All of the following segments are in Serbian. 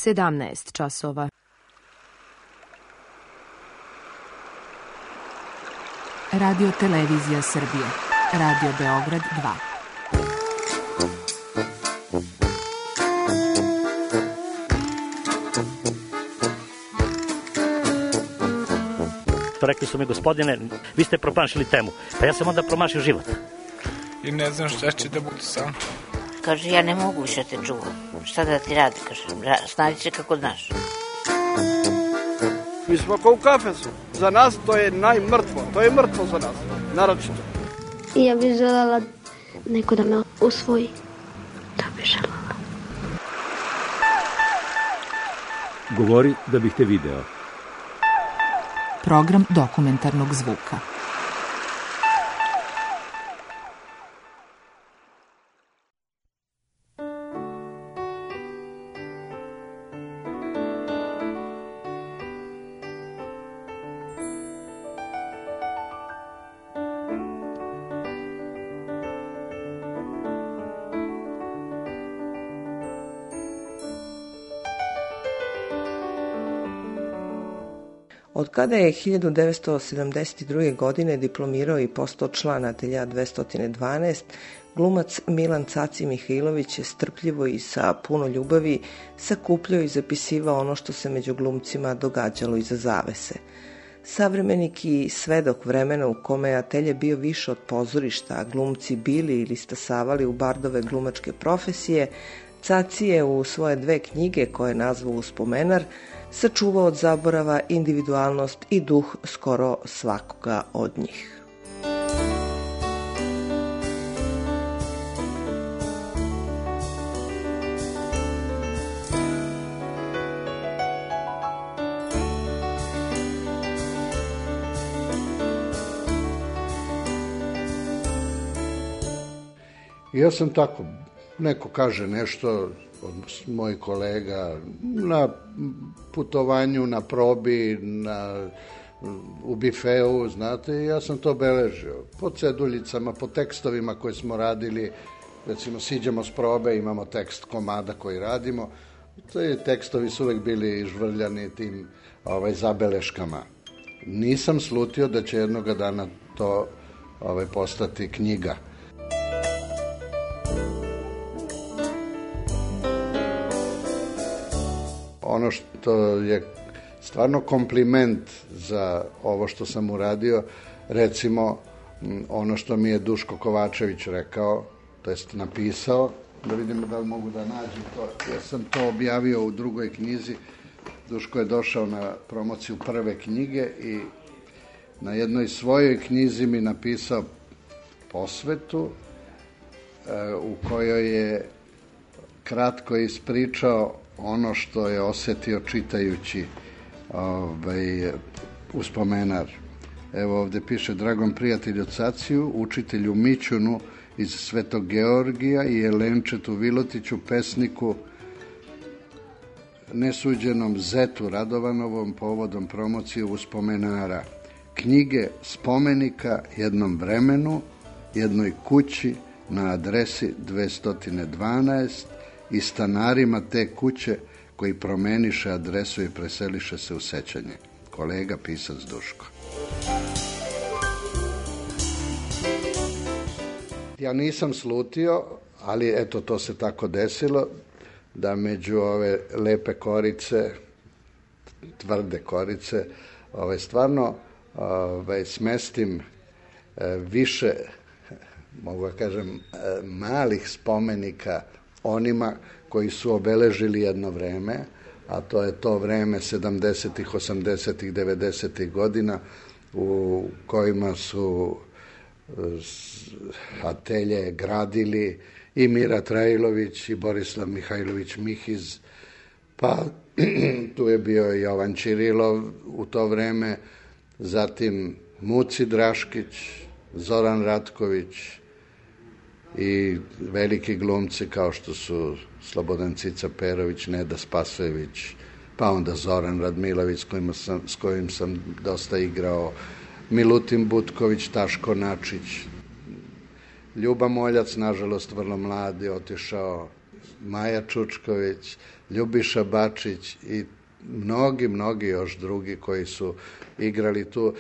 17 časova. Radio Televizija Srbije. Radio Beograd 2. Rekli su mi, gospodine, vi ste promašili temu. Pa ja sam onda promašio život. I ne znam šta će da bude sam. Kaže, ja ne mogu više te čuvam. Šta da ti radi, kaže, snađi se kako znaš. Mi smo kao u kafesu. Za nas to je najmrtvo. To je mrtvo za nas, naročito. Ja bih želela neko da me usvoji. Da bih želela. Govori da bih te video. Program dokumentarnog zvuka. Od kada je 1972. godine diplomirao i postao član Atelja 212, glumac Milan Caci Mihajlović je strpljivo i sa puno ljubavi sakupljao i zapisivao ono što se među glumcima događalo iza zavese. Savremenik i svedok vremena u kome je Atelje bio više od pozorišta, a glumci bili ili stasavali u bardove glumačke profesije, Caci je u svoje 2 knjige, koje je nazvao Uspomenar, sačuvao od zaborava individualnost i duh skoro svakoga od njih. Ja sam tako, neko kaže nešto od mojih kolega na putovanju, na probi, u bifeu, znate, i ja sam to beležio. Po ceduljicama, po tekstovima koje smo radili, recimo siđemo s probe, imamo tekst komada koji radimo, te tekstovi su uvek bili žvrljani tim zabeleškama. Nisam slutio da će jednoga dana to postati knjiga. Ono što je stvarno kompliment za ovo što sam uradio, recimo ono što mi je Duško Kovačević rekao, to jest napisao, da vidimo da li mogu da nađem to. Ja sam to objavio u drugoj knjizi. Duško je došao na promociju prve knjige i na jednoj svojoj knjizi mi napisao posvetu u kojoj je kratko ispričao ono što je osetio čitajući Uspomenar. Evo ovde piše: dragom prijatelju Caciju, učitelju Mićunu iz Svetog Georgija i Jelenčetu Vilotiću, pesniku, nesuđenom Zetu Radovanovom povodom promocije Uspomenara, knjige spomenika jednom vremenu, jednoj kući na adresi 212 i stanarima te kuće koji promeniše adresu i preseliše se u sećanje. Kolega pisac Duško. Ja nisam slutio, ali eto, to se tako desilo, da među ove lepe korice, tvrde korice, stvarno smestim više, mogu da kažem, malih spomenika onima koji su obeležili jedno vreme, a to je to vreme 70-ih, 80-ih, 90-ih godina u kojima su atelje gradili i Mira Trajlović i Borislav Mihajlović Mihiz, pa tu je bio i Jovan Ćirilov u to vreme, zatim Muci Draškić, Zoran Ratković i veliki glumci kao što su Slobodan Cica Perović, Neda Spasojević, pa onda Zoran Radmilović s kojim sam dosta igrao, Milutin Butković, Taško Načić, Ljuba Moljac, nažalost vrlo mlad, je otišao, Maja Čučković, Ljubiša Bačić i mnogi još drugi koji su igrali tu.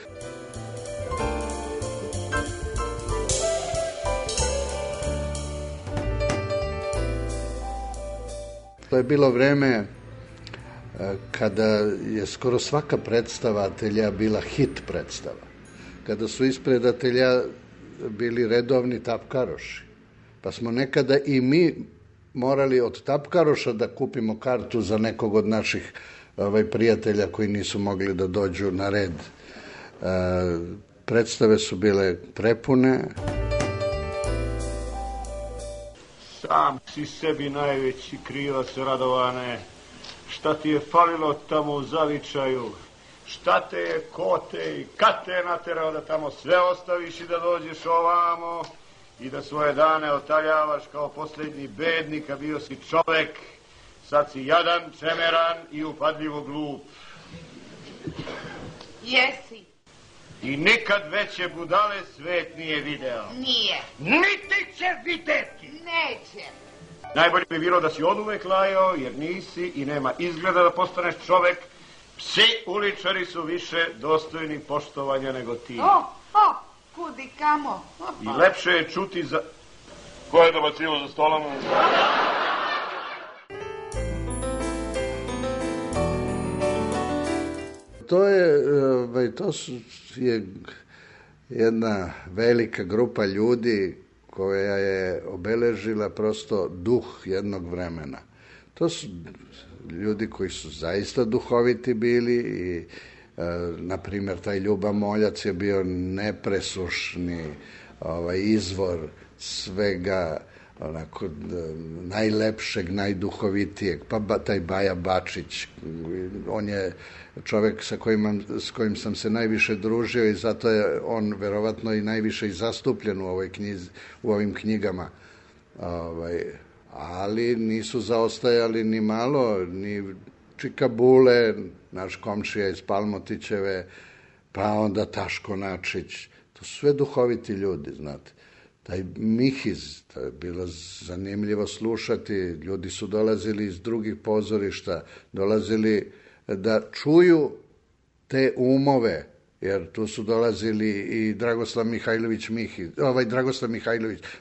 To je bilo vreme kada je skoro svaka predstava atelja bila hit predstava. Kada su ispred atelja bili redovni tapkaroši. Pa smo nekada i mi morali od tapkaroša da kupimo kartu za nekog od naših prijatelja koji nisu mogli da dođu na red. Predstave su bile prepune. Sam si sebi najveći krivac, Radovane. Šta ti je falilo tamo u Zavičaju? Šta te je, ko te i kad te je naterao da tamo sve ostaviš i da dođeš ovamo i da svoje dane otaljavaš kao posljednji bednik, a bio si čovek, sad si jadan, čemeran i upadljivo glup. Jesi. I nikad veće budale svet nije video. Nije. Niti će videti. Neće. Najbolje bi bilo da si oduvek lajao, jer nisi i nema izgleda da postaneš čovek. Psi uličari su više dostojni poštovanja nego ti. Kudi kamo. I lepše je čuti za... Ko je dobacivo za stolom? To je jedna velika grupa ljudi koja je obeležila prosto duh jednog vremena. To su ljudi koji su zaista duhoviti bili i, na primjer, taj Ljuba Moljac je bio nepresušni izvor svega onako najlepšeg, najduhovitijeg. Pa taj Baja Bačić, on je čovek s kojim sam se najviše družio i zato je on verovatno i najviše i zastupljen u ovim knjigama. Ali nisu zaostajali ni malo, ni Čika Bule, naš komšija iz Palmotićeve, pa onda Taško Načić. To su sve duhoviti ljudi, znate. Taj Mihiz, to je bilo zanimljivo slušati, ljudi su dolazili iz drugih pozorišta, dolazili da čuju te umove, jer tu su dolazili i Dragoslav Mihajlović Mihiz,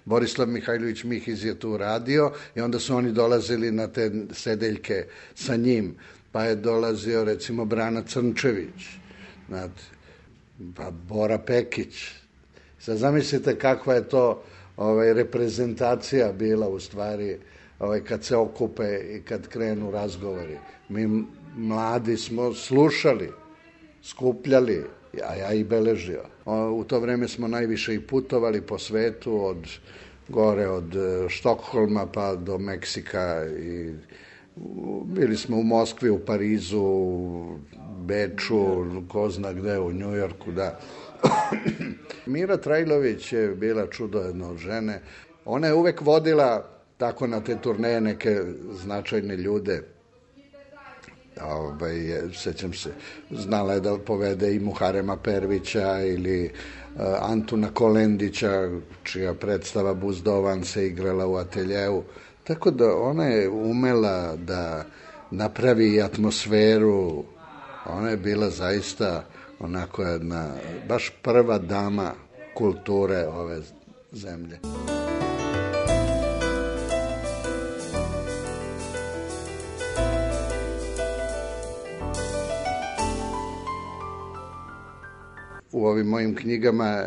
Borislav Mihajlović Mihiz je tu radio i onda su oni dolazili na te sedeljke sa njim, pa je dolazio recimo Brana Crnčević, znate, pa Bora Pekić. Sad zamislite kakva je to reprezentacija bila u stvari kad se okupe i kad krenu razgovori. Mi mladi smo slušali, skupljali, a ja i beležio. U to vreme smo najviše i putovali po svetu, od Štokholma pa do Meksika i bili smo u Moskvi, u Parizu, u Beču, ko zna gde, u Njujorku, da. Mira Trajlović je bila čudo jedna od žene. Ona je uvek vodila tako na te turneje neke značajne ljude. Sećam se, znala je da povede i Muharema Pervića ili Antuna Kolendića, čija predstava Buzdovan se igrala u ateljeu. Tako da ona je umela da napravi atmosferu. Ona je bila zaista onako jedna, baš prva dama kulture ove zemlje. U ovim mojim knjigama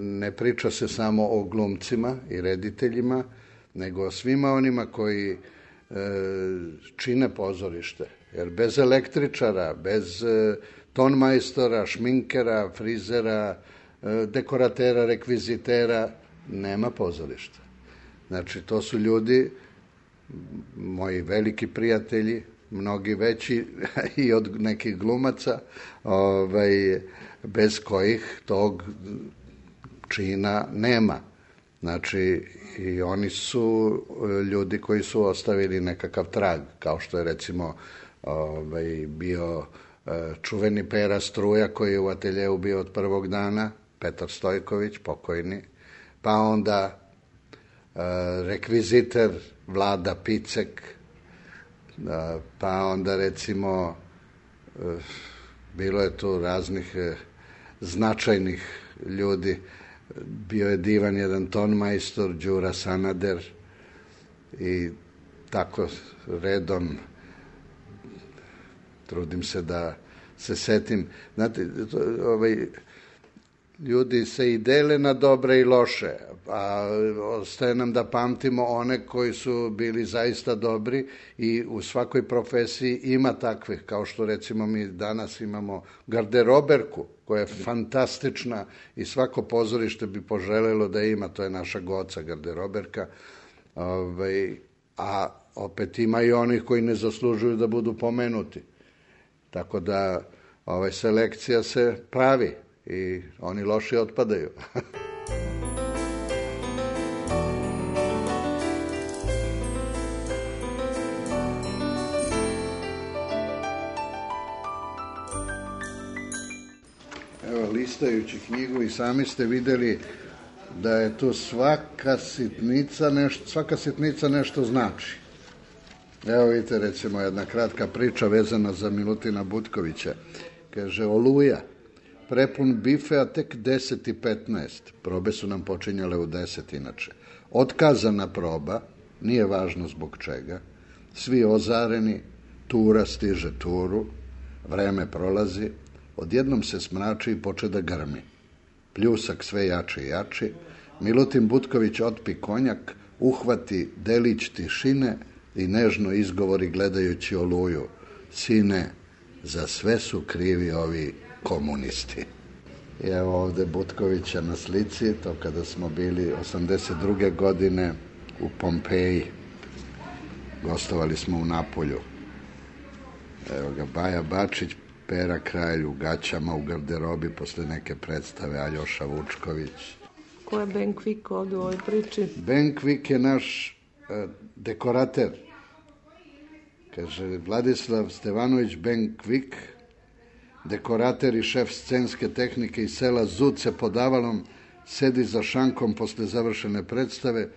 ne priča se samo o glumcima i rediteljima, nego o svima onima koji čine pozorište. Jer bez električara, bez tonmajstora, šminkera, frizera, dekoratera, rekvizitera, nema pozorišta. Znači, to su ljudi, moji veliki prijatelji, mnogi veći i od nekih glumaca, bez kojih tog čina nema. Znači, i oni su ljudi koji su ostavili nekakav trag, kao što je recimo bio čuveni Pera Struja, koji je u ateljeu bio od prvog dana, Petar Stojković, pokojni, pa onda rekviziter Vlada Picek, pa onda recimo bilo je tu raznih značajnih ljudi. Bio je divan jedan tonmajstor, Đura Sanader, i tako redom trudim se da se setim. Znate, ljudi se i dele na dobre i loše, a ostaje nam da pamtimo one koji su bili zaista dobri i u svakoj profesiji ima takvih, kao što recimo mi danas imamo garderoberku koja je fantastična i svako pozorište bi poželelo da ima, to je naša Goca garderoberka, a opet ima i onih koji ne zaslužuju da budu pomenuti. Tako da selekcija se pravi i oni loši otpadaju. Evo, listajući knjigu i sami ste vidjeli da je tu svaka sitnica nešto znači. Evo vidite, recimo, jedna kratka priča vezana za Milutina Butkovića. Kaže, Oluja, prepun bife, a tek 10:15. Probe su nam počinjale u 10 inače. Otkazana proba, nije važno zbog čega. Svi ozareni, tura stiže turu, vreme prolazi, odjednom se smrači i poče da grmi. Pljusak sve jači i jači, Milutin Butković otpi konjak, uhvati delić tišine i nežno izgovori gledajući Oluju. Sine, za sve su krivi ovi komunisti. I evo ovde Butkovića na slici, to kada smo bili 82. godine u Pompeji. Gostovali smo u Napolju. Evo ga Baja Bačić, Pera Kralj u gaćama, u garderobi posle neke predstave, Aljoša Vučković. Ko je Ben Kvik ovdje u ovoj priči? Ben Kvik je naš dekorater. Kaže, Vladislav Stevanović Ben Kvik, dekorater i šef scenske tehnike iz sela Zuce pod Avalom, sedi za šankom posle završene predstave,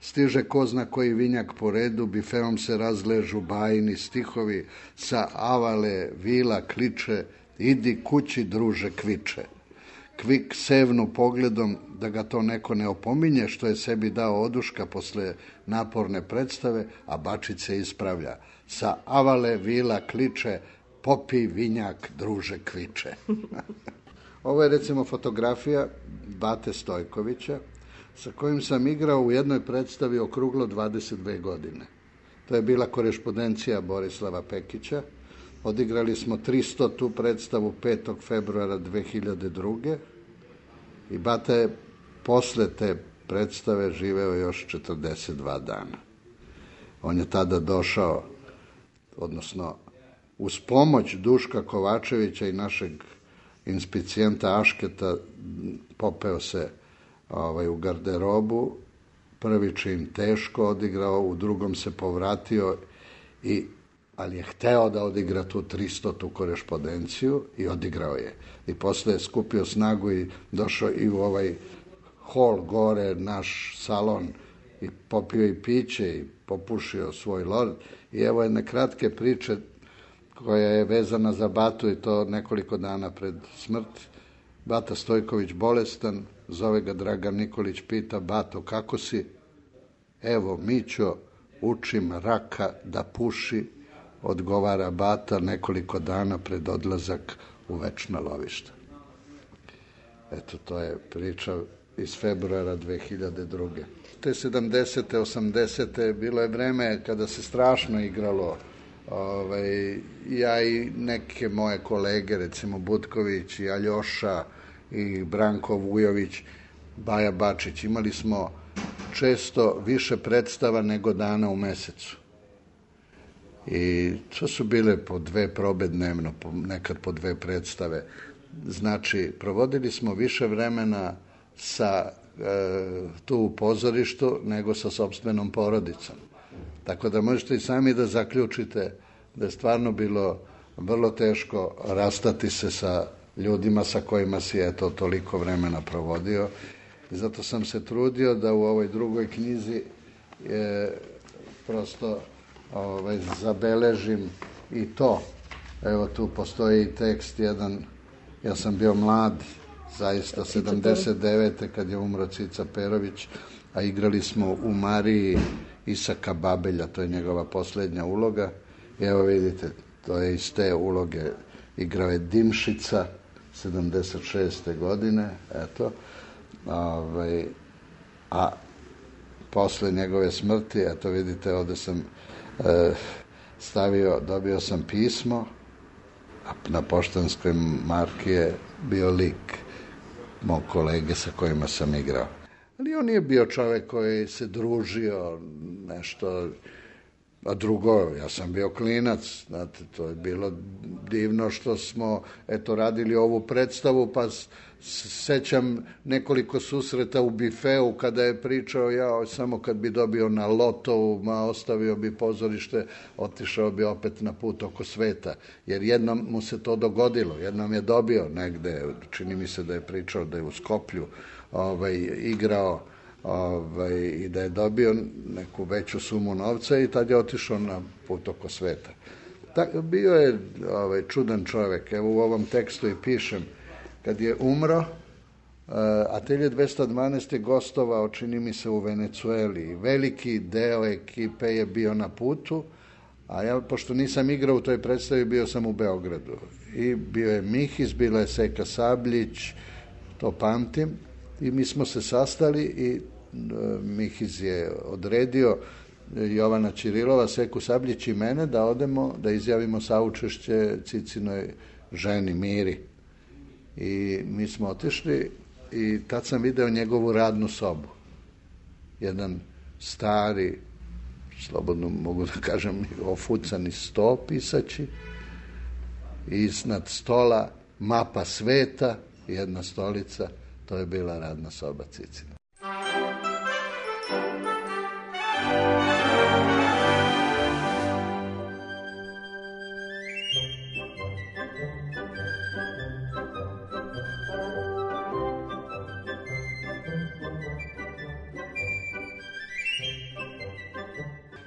stiže ko zna koji vinjak po redu, bifeom se razležu bajni stihovi, sa Avale vila kliče, idi kući druže Kviče. Kvik sevnu pogledom da ga to neko ne opominje što je sebi dao oduška posle naporne predstave, a Bačić se ispravlja. Sa Avale vila kliče, popi vinjak druže Kviče. Ovo je recimo fotografija Bate Stojkovića, sa kojim sam igrao u jednoj predstavi okruglo 22 godine. To je bila korespondencija Borislava Pekića. Odigrali smo 300. predstavu 5. februara 2002. I Bata je posle te predstave živeo još 42 dana. On je tada došao, odnosno uz pomoć Duška Kovačevića i našeg inspicijenta Ašketa, popeo se u garderobu, prvi čin teško odigrao, u drugom se povratio, ali je hteo da odigra tu 300. korespondenciju i odigrao je. I posle je skupio snagu i došao i u ovaj hol gore, naš salon, i popio i piće i popušio svoj lord. I evo jedne kratke priče koja je vezana za Batu i to nekoliko dana pred smrt. Bata Stojković bolestan, zove ga Dragan Nikolić, pita, Bato, kako si? Evo, Mićo, učim raka da puši, odgovara Bata nekoliko dana pred odlazak u večna lovišta. Eto, to je priča iz februara 2002. Te 70. 80. bilo je vreme kada se strašno igralo. Ja i neke moje kolege, recimo Butković i Aljoša i Branko Vujović, Baja Bačić, imali smo često više predstava nego dana u mesecu. I to su bile po 2 probe dnevno, nekad po 2 predstave. Znači, provodili smo više vremena tu u pozorištu nego sa sopstvenom porodicom. Tako da možete i sami da zaključite da je stvarno bilo vrlo teško rastati se sa ljudima sa kojima si toliko vremena provodio. I zato sam se trudio da u ovoj drugoj knjizi prosto zabeležim i to. Evo tu postoji tekst jedan, ja sam bio mlad, zaista 79. kad je umro Cica Perović, a igrali smo u Mariji Isaka Babelja, to je njegova posljednja uloga. I evo vidite, to je iz te uloge, igrao je Dimšica 76. godine, eto. A posle njegove smrti, eto vidite, ovde sam dobio sam pismo, a na poštanskoj marki je bio lik mog kolege sa kojima sam igrao. Ali on nije bio čovek koji se družio nešto, a drugo, ja sam bio klinac, znate, to je bilo divno što smo, radili ovu predstavu, pa sećam nekoliko susreta u bifeu kada je pričao, ja samo kad bi dobio na lotovu, ostavio bi pozorište, otišao bi opet na put oko sveta, jer jednom mu se to dogodilo, jednom je dobio negde, čini mi se da je pričao da je u Skoplju igrao i da je dobio neku veću sumu novca i tad je otišao na put oko sveta. Bio je čudan čovek, evo u ovom tekstu i pišem, kad je umro, Atelje 212 je gostovao, čini mi se, u Venecueli. Veliki deo ekipe je bio na putu, a ja, pošto nisam igrao u toj predstavi, bio sam u Beogradu. I bio je Mihis, bila je Seka Sabljić, to pamtim, i mi smo se sastali i Mihis je odredio Jovana Ćirilova, Seku Sabljić i mene da odemo, da izjavimo saučešće Cicinoj ženi Miri. I mi smo otišli i tad sam video njegovu radnu sobu. Jedan stari, slobodno mogu da kažem, ofucani sto pisaći, iznad stola mapa sveta, jedna stolica, to je bila radna soba Cicina.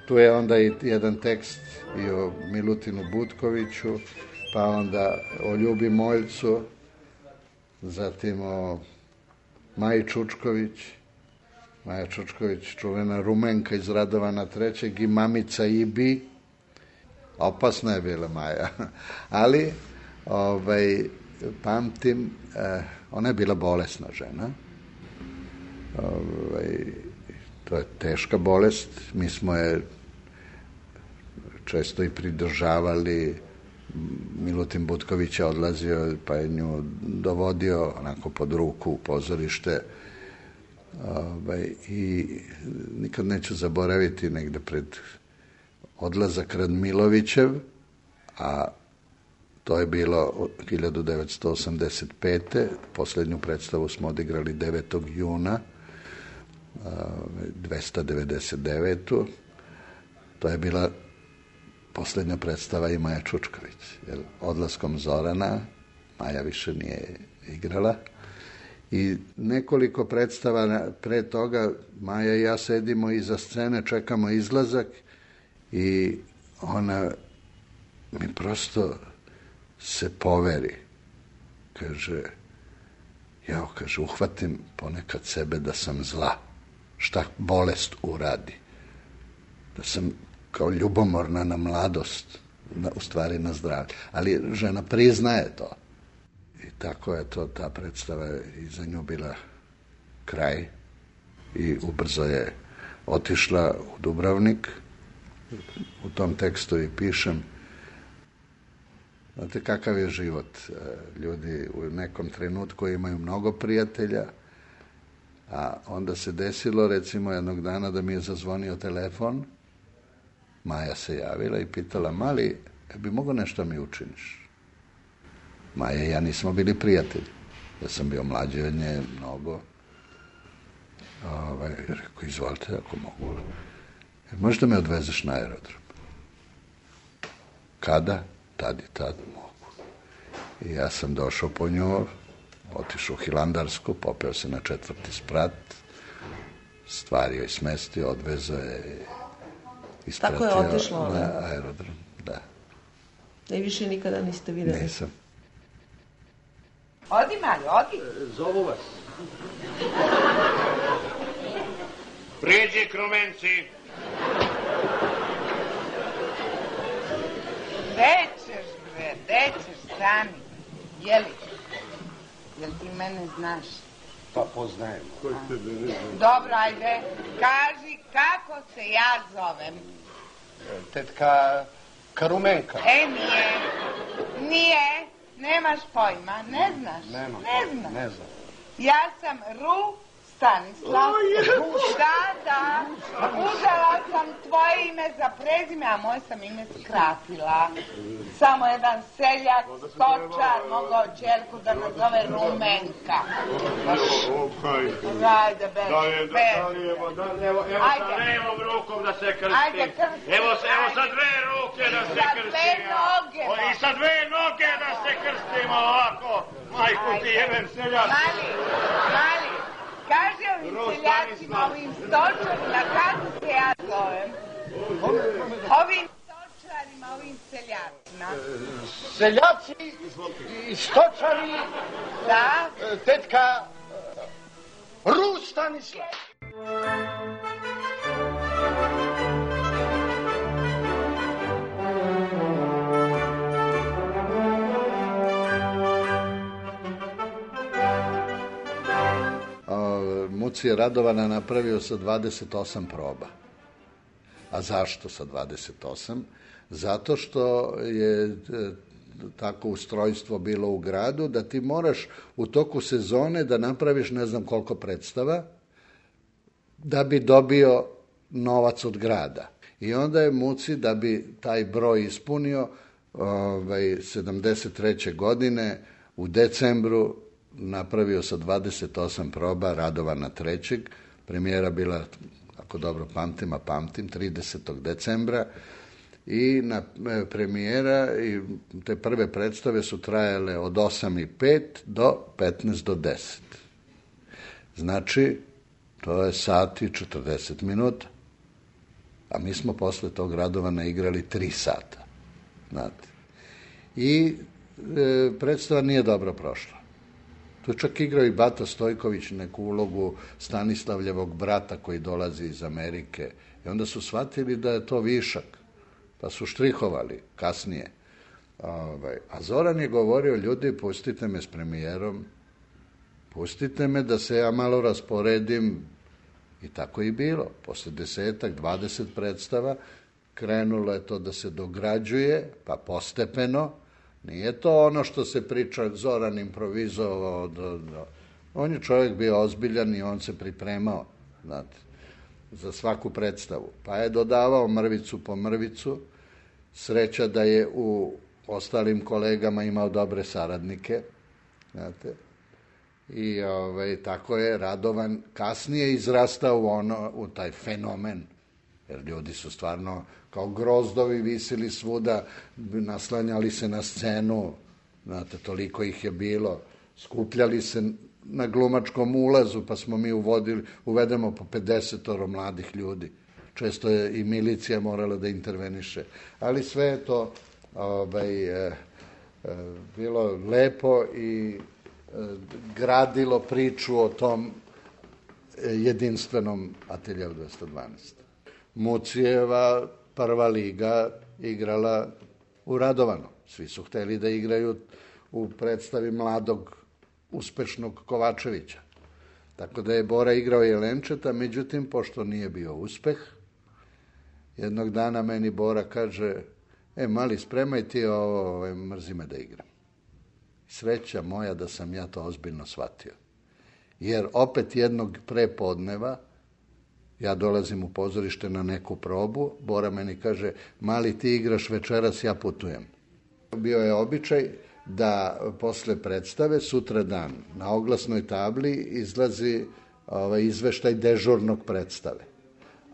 Tu je onda i jedan tekst i o Milutinu Butkoviću, pa onda o Ljubi Moljcu, zatim o Maji Čučković, Maja Čučković, čuvena Rumenka iz Radovana III. I mamica Ibi, opasna je bila Maja, ali pamtim, ona je bila bolesna žena, to je teška bolest, mi smo je često i pridržavali, Milutin Butković je odlazio pa je nju dovodio onako pod ruku u pozorište i nikad neću zaboraviti negde pred odlazak Radmilovićev, a to je bilo 1985. Poslednju predstavu smo odigrali 9. juna 299. To je bila poslednja predstava i Maja Čučković. Jer odlaskom Zorana Maja više nije igrala. I nekoliko predstava pre toga Maja i ja sedimo iza scene, čekamo izlazak i ona mi prosto se poveri. Kaže, uhvatim ponekad sebe da sam zla. Šta bolest uradi. Da sam kao ljubomorna na mladost, u stvari na zdravlje. Ali žena priznaje to. I tako je to, ta predstava i za nju bila kraj. I ubrzo je otišla u Dubrovnik. U tom tekstu i pišem. Znate kakav je život. Ljudi u nekom trenutku imaju mnogo prijatelja, a onda se desilo, recimo, jednog dana da mi je zazvonio telefon, Maja se javila i pitala, Mali, bi mogo nešto mi učiniš? Maja i ja nismo bili prijatelji. Ja sam bio mlađi od nje mnogo. Rekao, izvolite, ako mogu. Možda me odvezeš na aerodrom? Kada? Tad i tad mogu. I ja sam došao po nju, otišao u Hilandarsku, popeo se na 4. sprat, stvari joj smestio, odvezao je ispratio Tako je otišlo na aerodrom. Da. I više nikada niste videli? Nisam. Odi, Mario, odi. Zovu vas. Priđi, Krumenci. Gde ćeš, stani. Jeli? Jel ti mene znaš? Pa poznajem. Dobro, ajde, kaži kako se ja zovem. Tetka Karumenka. Nije, nemaš pojma, ne znaš, Ne znam. Ja sam Stanislav. Da, uzela sam tvoje ime za prezime, a moje sam ime skratila. Samo jedan seljak, stočar, mogao ćerku da nazove Rumenka. Ajde, Levom rukom da se krsti. Evo sa dve ruke da se krstimo. I sa dve noge da se krstimo ovako. Majku ti jebem seljak. Mali, kaži ovim seljacima, ovim stočarima, kako se ja zovem? Ovim stočarima, ovim seljacima. Seljaci i stočari. Da? Tetka Stanislav. Muci je Radovana napravio sa 28 proba. A zašto sa 28? Zato što je tako ustrojstvo bilo u gradu da ti moraš u toku sezone da napraviš ne znam koliko predstava da bi dobio novac od grada. I onda je Muci, da bi taj broj ispunio, 73. godine u decembru napravio sa 28 proba Radovana III. Premijera bila, ako dobro pamtim, 30. decembra. I na premijera i te prve predstave su trajale od 8:05 do 15 do 10. Znači, to je sat i 40 minuta. A mi smo posle tog Radovana igrali 3 sata. Znate. I predstava nije dobro prošla. Tu čak igrao i Bata Stojković neku ulogu Stanislavljevog brata koji dolazi iz Amerike. I onda su shvatili da je to višak. Pa su štrihovali kasnije. A Zoran je govorio, ljudi, pustite me s premijerom, pustite me da se ja malo rasporedim. I tako i bilo. Posle 10-20 predstava krenulo je to da se dograđuje, pa postepeno. Nije to ono što se priča, Zoran improvizovao. On je čovjek bio ozbiljan i on se pripremao, znate, za svaku predstavu. Pa je dodavao mrvicu po mrvicu. Sreća da je u ostalim kolegama imao dobre saradnike, znate. I tako je Radovan kasnije izrastao u taj fenomen. Jer ljudi su stvarno kao grozdovi visili svuda, naslanjali se na scenu, znate, toliko ih je bilo. Skupljali se na glumačkom ulazu, pa smo mi uvedemo po 50 mladih ljudi. Često je i milicija morala da interveniše. Ali sve je to bilo lepo i gradilo priču o tom jedinstvenom Ateljeu 212. Mucijeva prva liga igrala u Radovanu. Svi su hteli da igraju u predstavi mladog, uspešnog Kovačevića. Tako da je Bora igrao Jelenčeta, međutim, pošto nije bio uspeh, jednog dana meni Bora kaže, mali, spremaj ti ovo, mrzi me da igram. Sreća moja da sam ja to ozbiljno shvatio. Jer opet jednog prepodneva ja dolazim u pozorište na neku probu, Bora meni kaže, mali, ti igraš večeras, ja putujem. Bio je običaj da posle predstave, sutra dan, na oglasnoj tabli izlazi izveštaj dežurnog predstave.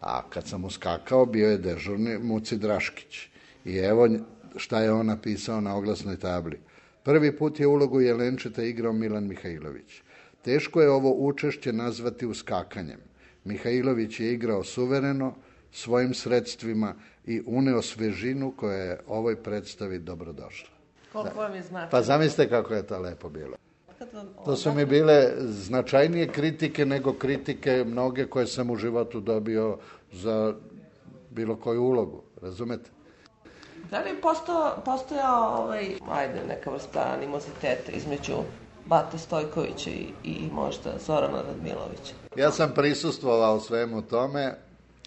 A kad sam uskakao, bio je dežurni Muci Draškić. I evo šta je on napisao na oglasnoj tabli. Prvi put je ulogu Jelenčeta igrao Milan Mihajlović. Teško je ovo učešće nazvati uskakanjem. Mihajlović je igrao suvereno, svojim sredstvima i uneo svežinu koja je ovoj predstavi dobrodošla. Koliko vam je značajno? Pa zamislite kako je to lepo bilo. To su mi bile značajnije kritike nego kritike mnoge koje sam u životu dobio za bilo koju ulogu, razumete? Da li je postojao neka vrsta animoziteta između Bate Stojkovića i možda Zorana Radmilovića? Ja sam prisustvovao svemu tome,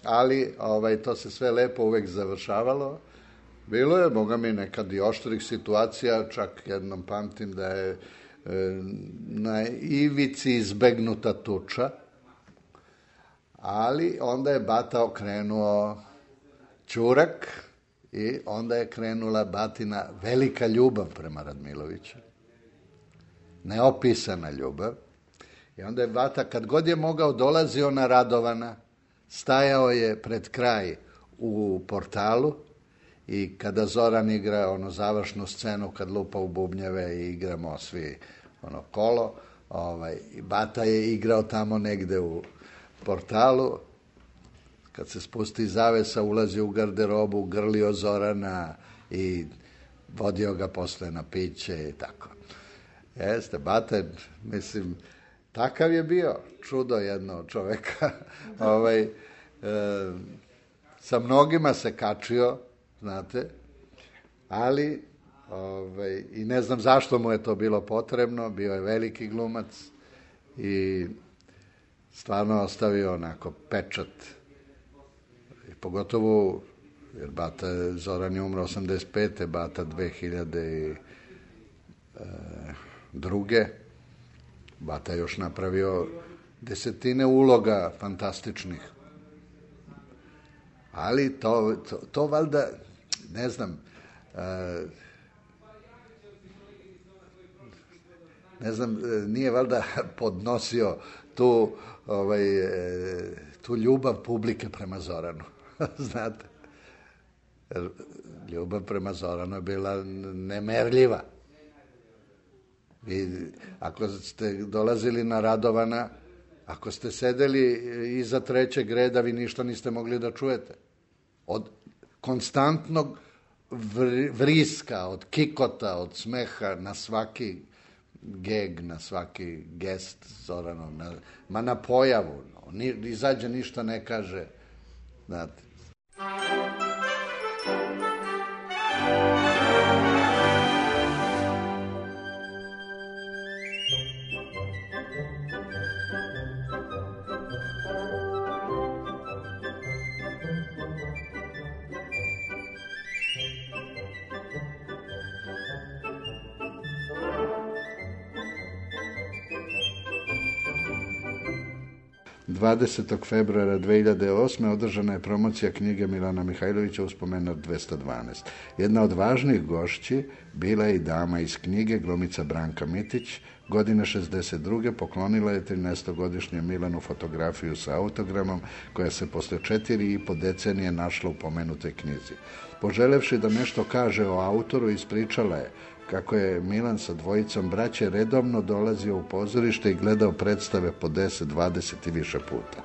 ali to se sve lepo uvek završavalo. Bilo je, boga mi, nekad i oštrih situacija, čak jednom pamtim da je na ivici izbegnuta tuča, ali onda je Bata okrenuo ćurak i onda je krenula Batina velika ljubav prema Radmiloviću. Neopisana ljubav. I onda je Bata, kad god je mogao, dolazio na Radovana, stajao je pred kraj u portalu i kada Zoran igra onu završnu scenu, kad lupa u bubnjeve i igramo svi kolo, Bata je igrao tamo negde u portalu. Kad se spusti zavesa, ulazi u garderobu, grlio Zorana i vodio ga posle na piće i tako. Jeste, Bata, mislim, takav je bio, čudo jedno čoveka. Sa mnogima se kačio, znate, ali i ne znam zašto mu je to bilo potrebno, bio je veliki glumac i stvarno ostavio onako pečat. I pogotovo, jer Zoran je umro 85. Bata 2002. Bata je još napravio desetine uloga fantastičnih. Ali to valjda, ne znam, nije valjda podnosio tu ljubav publike prema Zoranu. Znate, ljubav prema Zoranu je bila nemerljiva. I ako ste dolazili na Radovana, ako ste sedeli iza trećeg reda, vi ništa niste mogli da čujete. Od konstantnog vriska, od kikota, od smeha na svaki geg, na svaki gest Zoranov, na pojavu. Izađe, ništa ne kaže. Znate. ...20. februara 2008. održana je promocija knjige Milana Mihajlovića Uspomen od 212. Jedna od važnih gošći bila je i dama iz knjige, glumica Branka Mitić. Godine 62. poklonila je 13-godišnjem Milanu fotografiju sa autogramom, koja se posle 4,5 decenije našla u pomenutoj knjizi. Poželevši da nešto kaže o autoru, ispričala je kako je Milan sa dvojicom braće redovno dolazio u pozorište i gledao predstave po 10, 20 i više puta.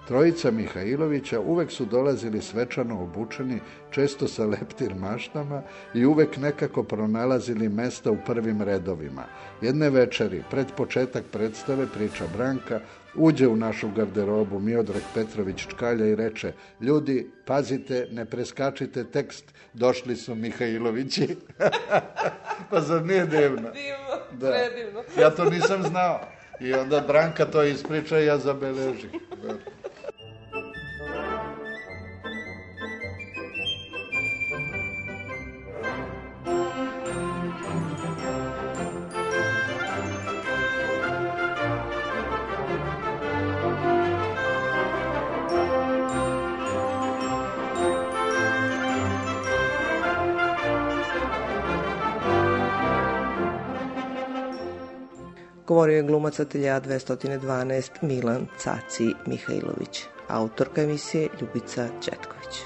Trojica Mihajlovića uvek su dolazili svečano obučeni, često sa leptir maštama i uvek nekako pronalazili mesta u prvim redovima. Jedne večeri, pred početak predstave, priča Branka, uđe u našu garderobu Miodrag Petrović Čkalja i reče: ljudi, pazite, ne preskačite tekst, došli su Mihajlovići. Pa zar nije divno? Divno, predivno. Ja to nisam znao. I onda Branka to ispriča i ja zabeležim. Da. Govorio je glumac Atelja 212 Milan Caci Mihajlović. Autorka emisije Ljubica Četković.